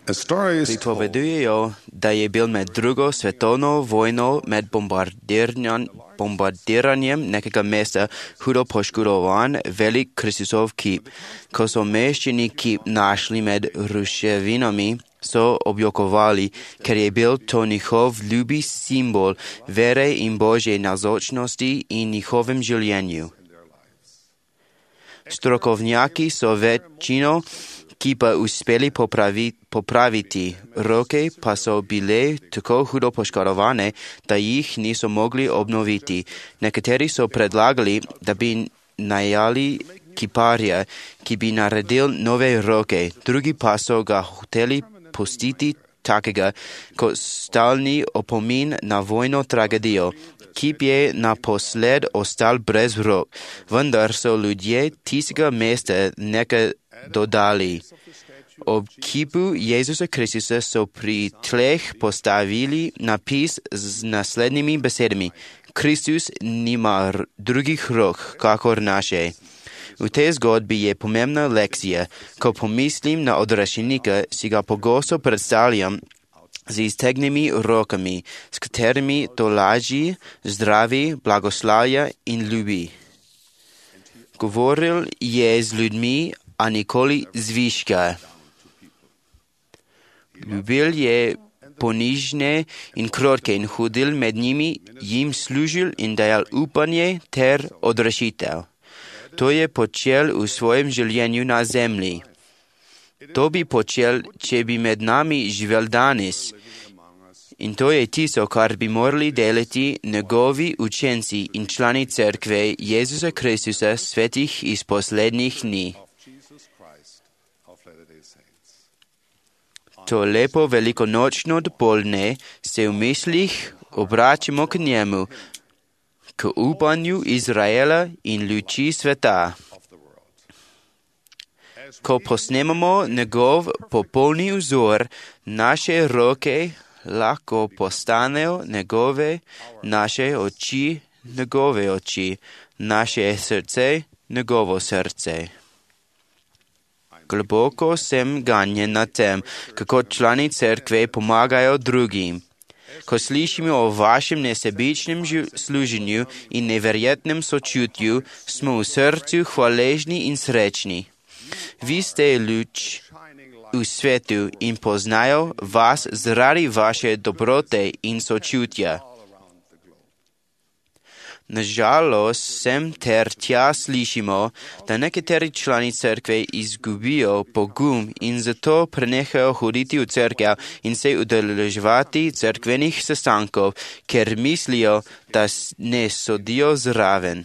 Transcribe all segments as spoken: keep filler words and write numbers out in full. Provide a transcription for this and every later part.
A story is told Pripovedujejo, da je bil med drugo svetovno vojno med bombardiranjem, bombardiranjem nekega mesta hudo poškodovan velik Kristusov kip. Ko so meščani kip našli med ruševinami, so objokovali, ker je bil to njihov ljubi simbol vere in Božje nazočnosti in njihovem življenju. Strokovnjaki so večino kipa uspeli popravi, popraviti, roke pa so bile tako hudo poškodovane, da jih niso mogli obnoviti. Nekateri so predlagali, da bi najali kiparja, ki bi naredil nove roke, drugi pa so ga hoteli pustiti takega kot stalni opomin na vojno tragedijo. Kip je naposled ostal brez rok, vendar so ljudje tistega mesta nekaj dodali. Ob kipu Jezusa Kristusa so pri tleh postavili napis z naslednjimi besedami: Kristus nima drugih rok, kakor naše. V tej zgodbi je pomembna lekcija. Ko pomislim na odrešenika, si ga pogosto predstavljam z iztegnimi rokami, s katerimi tolaži, zdravi, blagoslavlja in ljubi. Govoril je z ljudmi, a nikoli zviška. Ljubil je ponižne in krotke in hodil med njimi, jim služil in dajal upanje ter odrešitev. To je počel v svojem življenju na zemlji. To bi počel, če bi med nami živel danes. In to je tisto, kar bi morali delati njegovi učenci in člani cerkve Jezusa Kristusa svetih iz poslednjih dni. To lepo velikonočno dopoldne se v mislih obračamo k njemu, k upanju Izraela in luči sveta. Ko posnemamo njegov popolni vzor, naše roke lahko postanejo njegove, naše oči njegove oči, naše srce njegovo srce. Globoko sem ganjen nad tem, kako člani cerkve pomagajo drugim. Ko slišimo o vašem nesebičnem služenju in neverjetnem sočutju, smo v srcu hvaležni in srečni. Vi ste luč v svetu in poznajo vas zaradi vaše dobrote in sočutja. Nažalost, sem ter tja slišimo, da nekateri člani cerkve izgubijo pogum in zato prenehajo hoditi v cerkev in se udeleževati cerkvenih sestankov, ker mislijo, da ne sodijo zraven.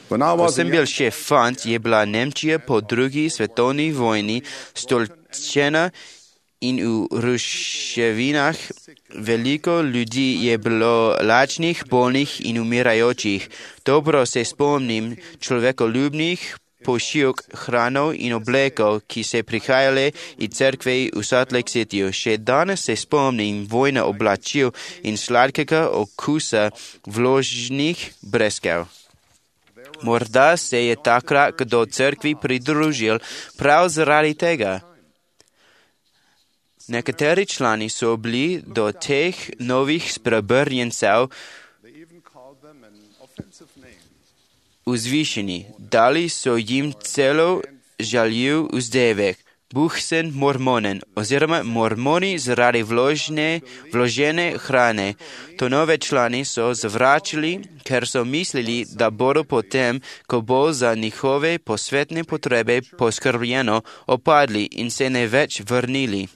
Ko sem bil še fant, je bila Nemčija po drugi svetovni vojni stolčena in v ruševinah veliko ljudi je bilo lačnih, bolnih in umirajočih. Dobro se spomnim človekoljubnih pošiljk, hranov in oblekov, ki se prihajale iz cerkve v Salt Lake Cityju. Še danes se spomnim vojne oblačil in sladkega okusa vložnih breskev. Morda se je takrat kdo cerkvi pridružil prav zaradi tega. Nekateri člani so bili do teh novih spreobrnjencev vzvišeni. Dali so jim celo žaljiv vzdevek, Buchsen mormonen oziroma mormoni zaradi vložne, vložene hrane. To nove člani so zavračali, ker so mislili, da bodo potem, ko bo za njihove posvetne potrebe poskrbljeno, opadli in se ne več vrnili.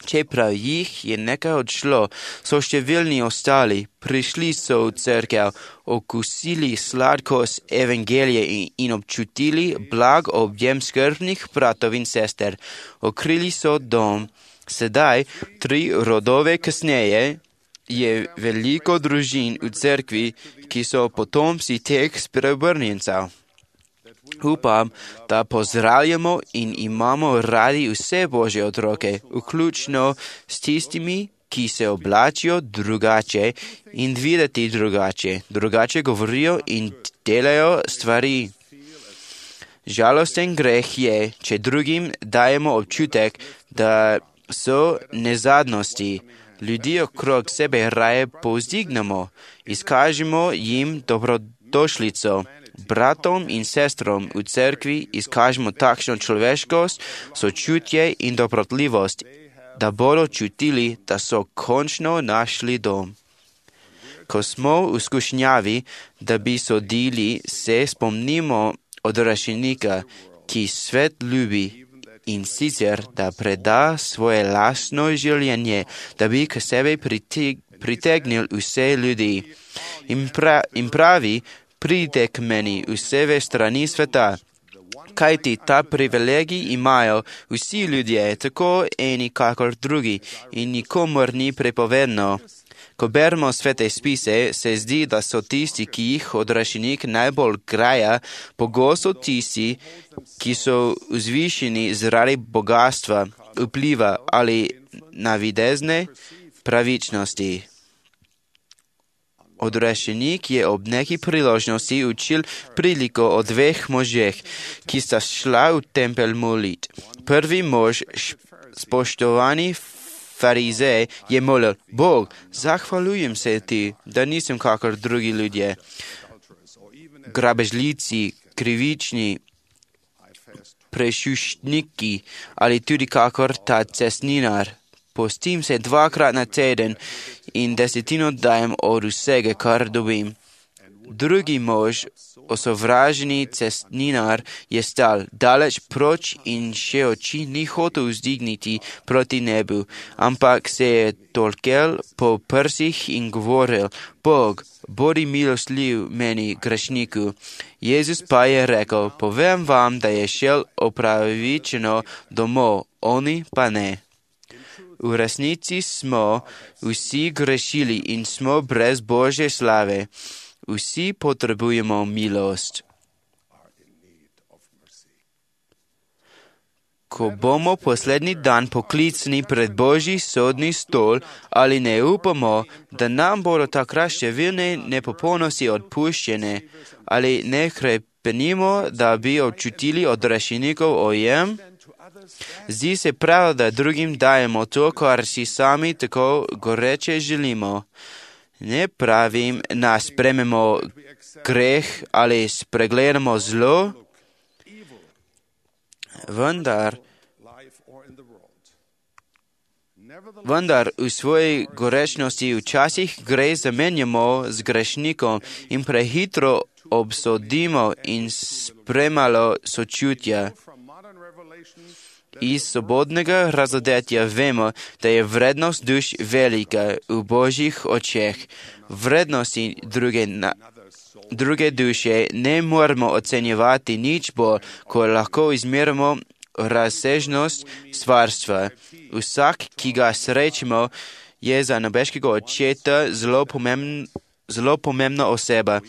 Čeprav jih je nekaj odšlo, so številni ostali, prišli so v cerkev, okusili sladkost evangelije in, in občutili blag objem skrbnih bratov in sester. Okrili so dom. Sedaj, tri rodove kasneje, je veliko družin v cerkvi, ki so potomci teh spreobrnjencev. Upam, da pozdravljamo in imamo radi vse Božje otroke, vključno s tistimi, ki se oblačijo drugače in videti drugače, drugače govorijo in delajo stvari. Žalosten greh je, če drugim dajemo občutek, da so nezadnosti. Ljudi okrog sebe raje povzdignemo, izkažimo jim dobrodošlico. Bratom in sestrom v cerkvi izkažemo takšno človeškost, sočutje in dobrotljivost, da bodo čutili, da so končno našli dom. Ko smo v skušnjavi, da bi sodili, se spomnimo odrešenika, ki svet ljubi, in sicer, da preda svoje lastno življenje, da bi k sebi pritegnil vse ljudi. In, pra, in pravi, pridite k meni vse ve strani sveta, kajti ta privilegij imajo vsi ljudje, tako eni kakor drugi, in nikomor ni prepovedno. Ko beremo svete spise, se zdi, da so tisti, ki jih odrešenik najbolj graja, pogosto tisti, ki so vzvišeni zaradi bogatstva, vpliva ali navidezne pravičnosti. Odrešenik je ob neki priložnosti učil priliko o dveh možeh, ki sta šla v tempelj molit. Prvi mož, spoštovani farizej, je molil: Bog, zahvaljujem se ti, da nisem kakor drugi ljudje, grabežljici, krivični, prešuštniki ali tudi kakor ta cestninar. Postim se dvakrat na teden in desetino dajem od vsega, kar dobim. Drugi mož, osovraženi cestninar, je stal daleč proč in še oči ni hotel vzdigniti proti nebu, ampak se je tolkel po prsih in govoril: Bog, bodi milostljiv meni grešniku. Jezus pa je rekel: Povem vam, da je šel opravičeno domov, oni pa ne. V resnici smo vsi grešili in smo brez Božje slave. Vsi potrebujemo milost. Ko bomo poslednji dan poklicani pred Božji sodni stol, ali ne upamo, da nam bodo takrat številne nepopolnosti odpuščene, ali ne hrepenimo, da bi občutili odrešenikov ojem? Zdi se prav, da drugim dajemo to, kar si sami tako goreče želimo. Ne pravim, da sprememo greh ali spregledamo zlo, vendar, vendar v svoji gorečnosti včasih gre zamenjamo z grešnikom in prehitro obsodimo in spremalo sočutja. Iz svobodnega razodetja vemo, da je vrednost duš velika v Božjih očeh. Vrednosti druge, na, druge duše ne moramo ocenjevati nič bolj, ko lahko izmerimo razsežnost stvarstva. Vsak, ki ga srečimo, je za nebeškega očeta zelo, pomembn, zelo pomembna oseba.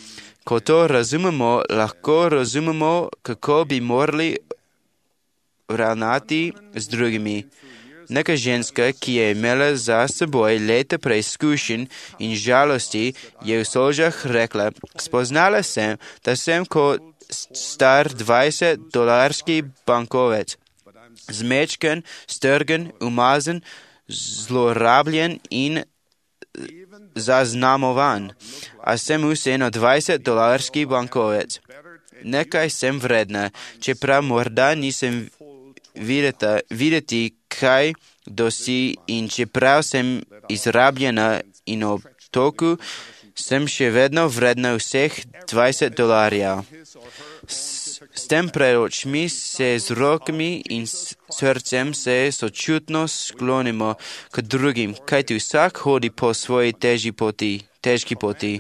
Ko to razumemo, lahko razumemo, kako bi morali ravnati z drugimi. Neka ženska, ki je imela za seboj leta preizkušenj in žalosti, je v solžah rekla: Spoznala sem, da sem kot star dvajset dolarski bankovec, zmečken, strgen, umazan, zlorabljen in zaznamovan. A sem vseeno dvajset dolarski bankovec. Nekaj sem vredna, čeprav morda nisem videta, videti, kaj dosi, in čeprav sem izrabljena in ob toku, sem še vedno vredna vseh dvajset dolarjev. S, s tem pred očmi se z rokami in s srcem se sočutno sklonimo k drugim, kajti vsak hodi po svoji težji poti. težki poti.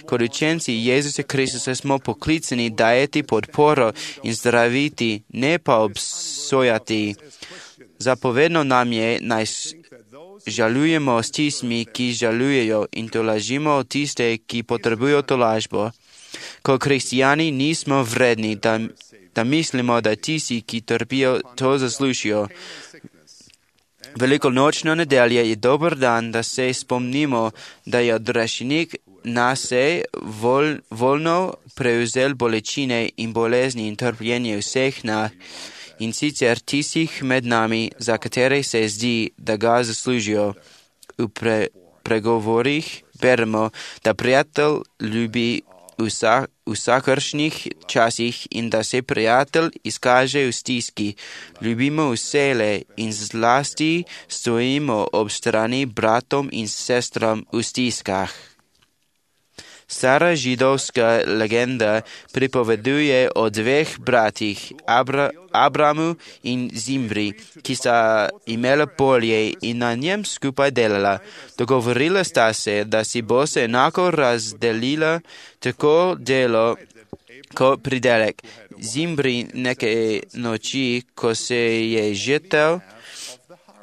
Kot učenci Jezusa Kristusa smo poklicani dajati podporo in zdraviti, ne pa obsojati. Zapovedno nam je, naj žalujemo s tistimi, ki žalujejo, in tolažimo tiste, ki potrebujo tolažbo. Kot kristijani nismo vredni, da, da mislimo, da tisti, ki trpijo, to zaslužijo. Velikonočna nedelja je dober dan, da se spomnimo, da je odrešenik nas je vol, volno prevzel bolečine in bolezni in trpljenje vseh nas, in sicer tistih med nami, za katere se zdi, da ga zaslužijo. V pre, pregovorih beremo, da prijatelj ljubi vsa, vsakršnih časih in da se prijatelj izkaže v stiski. Ljubimo vsele in zlasti stojimo ob strani bratom in sestram v stiskah. Stara židovska legenda pripoveduje o dveh bratih, Abra, Abramu in Zimri, ki sta imela polje in na njem skupaj delala. Dogovorila sta se, da si bo se enako razdelila tako delo kot pridelek. Zimri neke noči, ko se je žetev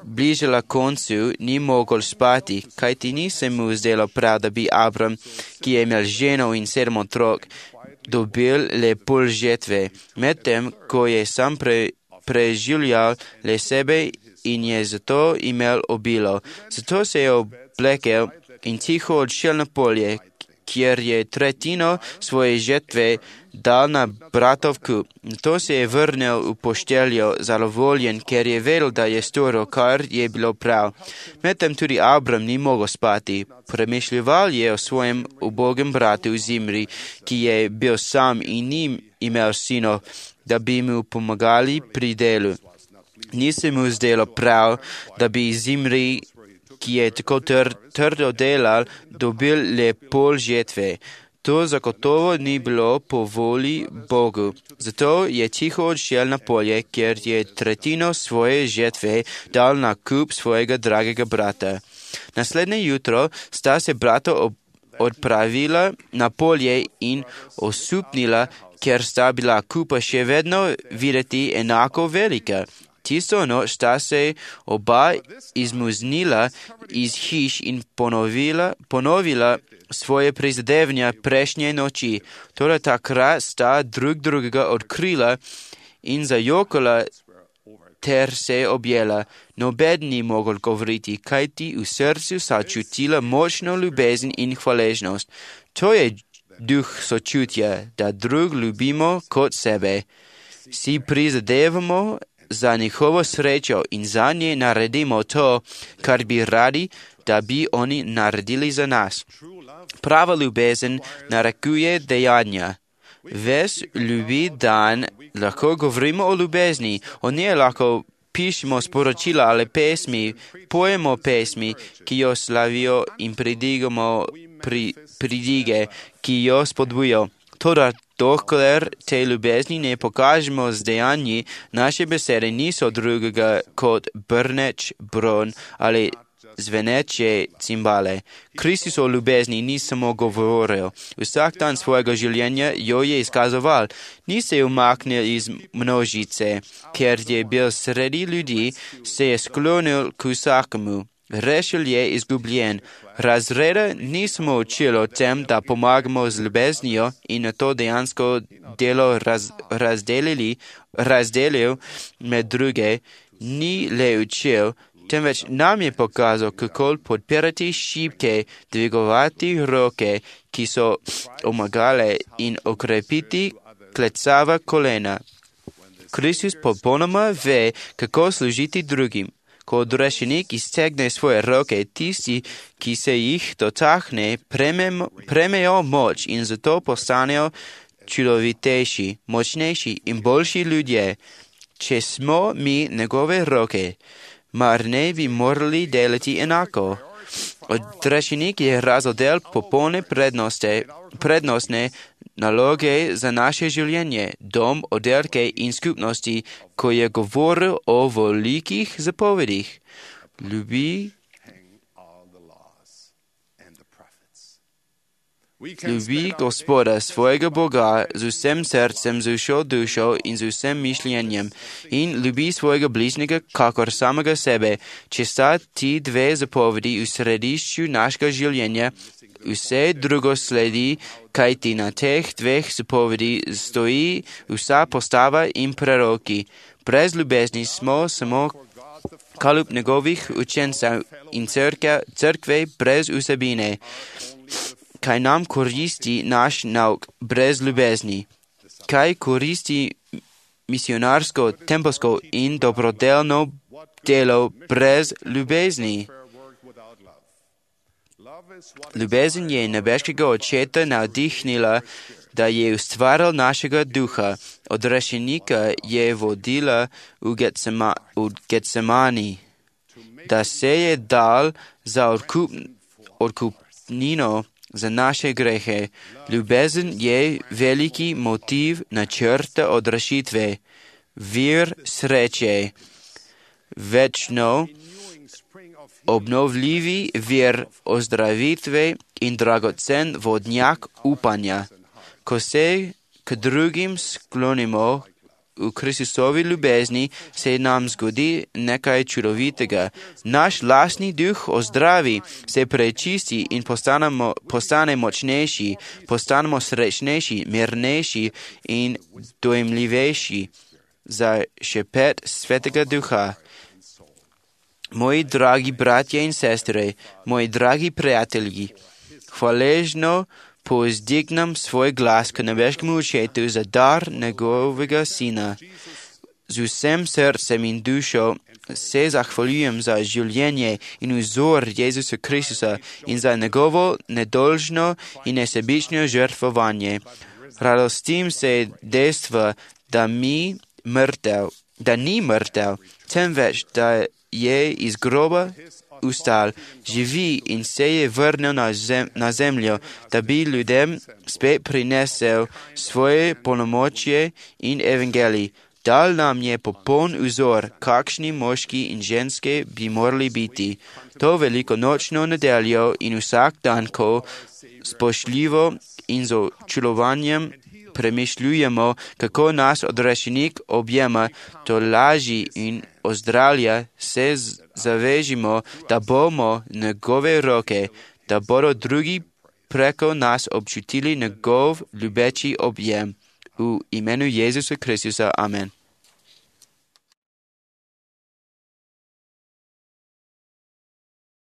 bližala koncu, ni mogel spati, kajti ni se mu zdelo prav, da bi Abram, ki je imel ženo in sedem otrok, dobil le pol žetve. Medtem, ko je sam pre, preživljal le sebe in je zato imel obilo. Zato se je oblekel in tiho odšel na polje, kjer je tretjino svoje žetve dal na bratov kup. To se je vrnil v pošteljo zadovoljen, ker je vedel, da je storil, kar je bilo prav. Medtem tudi Abram ni mogel spati. Premišljeval je o svojem ubogem bratu Zimri, ki je bil sam in ni imel sinov, da bi mu pomagali pri delu. Ni se mu zdelo prav, da bi Zimri, ki je tako tr, trdo delal, dobil le pol žetve. To zagotovo ni bilo po volji Bogu. Zato je tiho odšel na polje, kjer je tretjino svoje žetve dal na kup svojega dragega brata. Naslednje jutro sta se brata odpravila na polje in osupnila, ker sta bila kupa še vedno videti enako velika. Tisto noč sta se oba izmuznila iz hiš in ponovila, ponovila svoje prizadevanja prejšnje noči. Toda takrat sta drug drugega odkrila in zajokala ter se objela. Noben ni mogel govoriti, kajti v srcu sta čutila močno ljubezen in hvaležnost. To je duh sočutja, da drug ljubimo kot sebe. Si prizadevamo za njihovo srečo in za nje naredimo to, kar bi radi, da bi oni naredili za nas. Prava ljubezen narekuje dejanja. Ves ljubi dan lahko govorimo o ljubezni, o njej lahko pišemo sporočila ali pesmi, pojemo pesmi, ki jo slavijo in pridigamo pri, pridige, ki jo spodbujo. Toda dokler te ljubezni ne pokažemo z dejanji, naše besede niso drugega kot brneč bron ali zveneče cimbale. Kristus o ljubezni ni samo govoril. Vsak dan svojega življenja jo je izkazoval. Ni se umaknil iz množice, ker je bil sredi ljudi, se je sklonil k vsakemu. Rešil je izgubljen. Razreda nismo učili o tem, da pomagamo z ljubeznijo in na to dejansko delo raz, razdelili, razdelil med druge, ni le učil, temveč nam je pokazal, kako podpirati šibke, dvigovati roke, ki so omagale in okrepiti klecava kolena. Kristus popolnoma ve, kako služiti drugim. Ko odrešenik iztegne svoje roke, tisti, ki se jih dotakne, premejo moč in zato postanejo čudovitejši, močnejši in boljši ljudje. Če smo mi njegove roke, mar ne bi morali delati enako? Odrešenik je razodel popolne prednosti, prednostne naloge za naše življenje, dom, oddelke in skupnosti, ko je govoril o velikih zapovedih. Ljubi, ljubi Gospoda, svojega Boga, z vsem srcem, z vso dušo in z vsem mišljenjem in ljubi svojega bližnjega, kakor samega sebe. Če sta ti dve zapovedi v središču našega življenja, vse drugo sledi, kajti na teh dveh zapovedi stoji vsa postava in preroki. Brez ljubezni smo samo kalup njegovih učencev in crkve brez vsebine. kaj nam koristi naš nauk brez ljubezni, kaj koristi misionarsko, tempelsko in dobrodelno delo brez ljubezni. Ljubezen je nebeškega očeta navdihnila, da je ustvaril našega duha. Odrešenika je vodila v, Getsema, v Getsemani, da se je dal za odkup, odkupnino za naše grehe. Ljubezen je veliki motiv načrta odrešitve, vir sreče, večno obnovljivi vir ozdravitve in dragocen vodnjak upanja. Ko se k drugim sklonimo v Kristusovi ljubezni, se nam zgodi nekaj čudovitega. Naš lastni duh ozdravi, se prečisti in postanemo, postane močnejši, postanemo srečnejši, mirnejši in dojemljivejši za šepet Svetega Duha. Moji dragi bratje in sestre, moji dragi prijatelji, hvaležno povzdignem svoj glas k nebeškemu očetu za dar njegovega sina. Z vsem srcem in dušo se zahvaljujem za življenje in vzor Jezusa Kristusa in za njegovo nedolžno in nesebično žrtvovanje. Radostim se dejstva, da mi mrtev, da ni mrtev, temveč da je iz groba ustal, živi in se je vrnil na, zem, na zemljo, da bi ljudem spet prinesel svoje polnomočje in evangelij. Dal nam je popoln vzor, kakšni moški in ženske bi morali biti. To veliko nočno nedeljo in vsak dan, ko spoštljivo in z občudovanjem premišljujemo, kako nas odrešenik objema, to laži in ozdravlja, se zavežimo, da bomo njegove roke, da bodo drugi preko nas občutili njegov ljubeči objem. V imenu Jezusa Kristusa. Amen.